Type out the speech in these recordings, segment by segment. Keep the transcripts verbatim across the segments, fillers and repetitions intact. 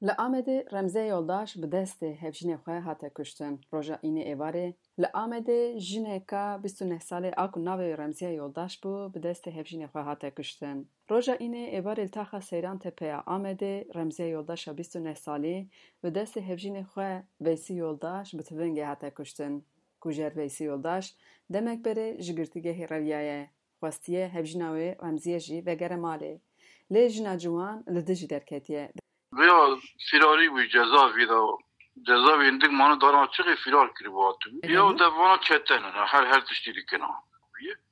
Li Amedê Remziye Yoldaş bi destê hevjînê xwe hate kuştin. Roja Înê êvarê li Amedê jineka bîst û neh salî a ku navê wê Remziye Yoldaş bû, bi destê hevjînê xwe hate kuştin. Roja Înê êvarê li taxa Seyran Tepe ya Amedê Remziye Yoldaşa bîst û neh salî bi destê hevjînê xwe Veysî Yoldaş bi tivingê hate kuştin. Kujer Veysî Yoldaş demek berê ji girtîgehê reviyaye. Xwestiye hevjîna wê Remziye jî vegere malê. Lê jina ciwan li dijî derketiye. Vêya fîrarî bû, ceza vî de. Ceza wî hindik mane dara çixê fîrar kirî bu hatibû. Ya de vana çete ne, her, her tiştî dikina.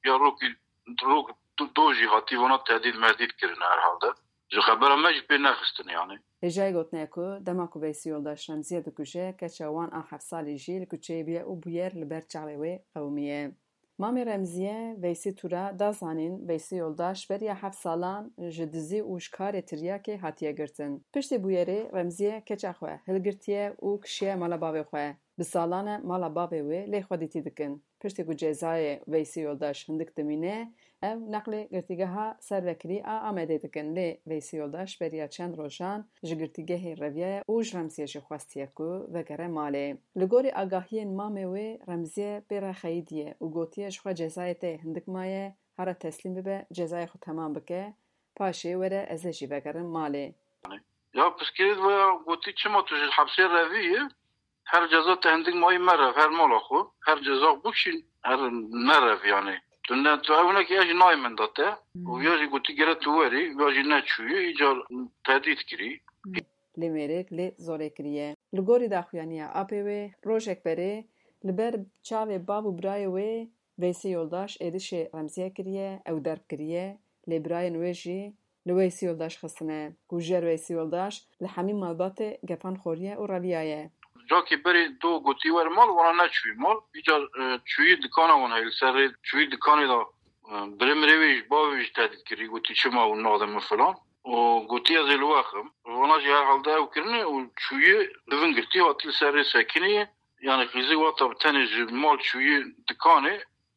Ya rokî, rok do, do jî hatî vana tehdît mehdît kirine herhalde. Ji xebera me jî pê nexistin yani. Hêjayê gotine ku dema ku Veysî Yoldaş Remziye dikuje, keça wan a heft salî jî li kuçeyê bûye û bûyer li ber çavê wê qewimiye. Mamê Remziye, Veysî Tura, da zanîn, Veysî Yoldaş beriya heft salan ji dizî û ji karê tiryakê hatiye girtin. Piştî bûyerê Remziye keça xwe hilgirtiye û kişiye mala bavê xwe. Bi salan e mala bavê wê lê xwe dîtî dikin. Piştî ku cezayê Veysî Yoldaş hindik dimîne, ew neqlê girtîgeha servekirî a Amedê dikin, lê Veysî Yoldaş beriya çend rojan ji girtîgehê reviyaye û ji Remziye jî xwestiye ku vegere malê. Li gorî agahiyên mamê wê, Remziye pê re xeyidiye û gotiye ji xwe cezayê te yê hindik maye, here teslîm bibe, cezayê xwe temam bike, paşê were ez ê jî vegerim malê. Ya piskirêt vaya gotî çima tu ji hepsê revî yî? Her ceza te hindik mayî merev, her mala xwe, her ceza bikişîn, her merev yani. Tu ne, tu ew nekî ez jî nayê min da te. Û ya jî gotî gere tu werî, ya jî neçûyî, îcar tehdît kirî. Lê mêrek lê zorê kiriye. Li gorî daxuyaniya apê wê, rojek berê li ber çavê bav û birayê wê Veysî Yoldaş êrişê Remziye kiriye, ew derb kiriye, lê birayên wê jî li Weysî Yoldaş xistine. Kujer Weysî Yoldaş li hemî malbatê gefan xoriye û reviyaye. Cakê berê do gotî wer mal, wana neçûyî mal. Îcar, e, çûyî dikana wan heye, li ser rê çûyî dikanê de, e, birê mirê wê jî, bavê wê jî tehdît kirî, gotî çima hûn nadin min filan. Û gotî ez ê li we xim. Wana jî herhalde ew kirine û çûyî divin girtî hatî li ser rê sekinî. Yani qîzî wata bi tenê ji mal çûyî dikanê.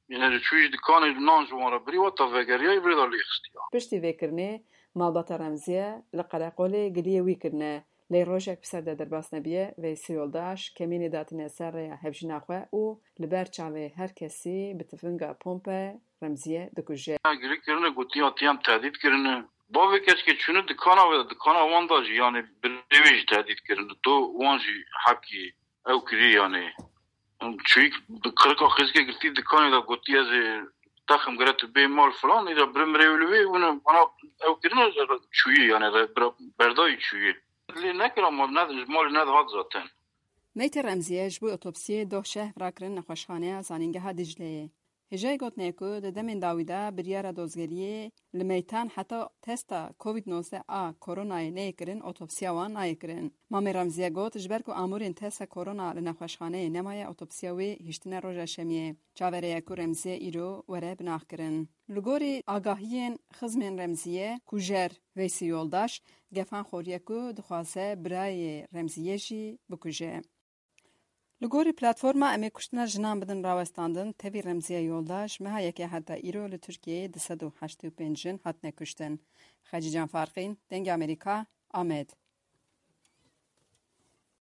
Yine ji çûyî ji dikanê nan ji wan re birî, wata vegeriya, îbrê de lê xistiya. Piştî vê kirinê malbata Remziye li qereqolê giliyê wî kirine, lê rojek bi ser de derbas nebiye, Veysî Yoldaş kemînê datîne ser rêya hevjîna xwe û li ber çavê her kesî bi tifinga pompe Remziye dikuje. Gilî kirine, gotiya tiyam tehdît kirine. Bavê keçikê çûne dikana wê, dikana wan da jî, yani birê wê jî tehdît kirine. Do wan jî hepkî ew kirî yani. Çûyî qirika qîzikê girtî dikanê de, gotî ez ê texim gere tu bê mal filan, îda birê mirê wê li wê, wina bana ew kirine, çûyî yani, re-, bira-, berdayî çûyî. Lê nekira mal, ne, ji malê nedihat zaten. Meytê Remziye ji bo otopsiyê doh şev rakirin nexweşxaneya Zanîngeha Dicleyê. Hêjayê gotine ku di demên dawî de biryara dozgeriyê li meytan heta testa Covid nozdeh a koronayê neyê kirin, otopsiya wan nayê kirin. Mamê Remziye got, ji ber ku amûrên testa korona li nexweşxaneyê nemaye, otopsiya wê hiştine roja şemiyê. Çaverê ye ku Remziye îro were binaxkirin. Li gorî agahiyên xizmên Remziye, kujer Veysî Yoldaş gefan xoriye ku dixwaze birayê Remziye jî bikuje. Li gorî platforma Em ê kuştina jinan bidin rawestandin, tevî Remziye Yoldaş meha yekê heta îro li Tirkiyeyê du sed û heştê û pênc jin hatine kuştin. Xecîcan Farqîn, Dengê Amerîka, Amed.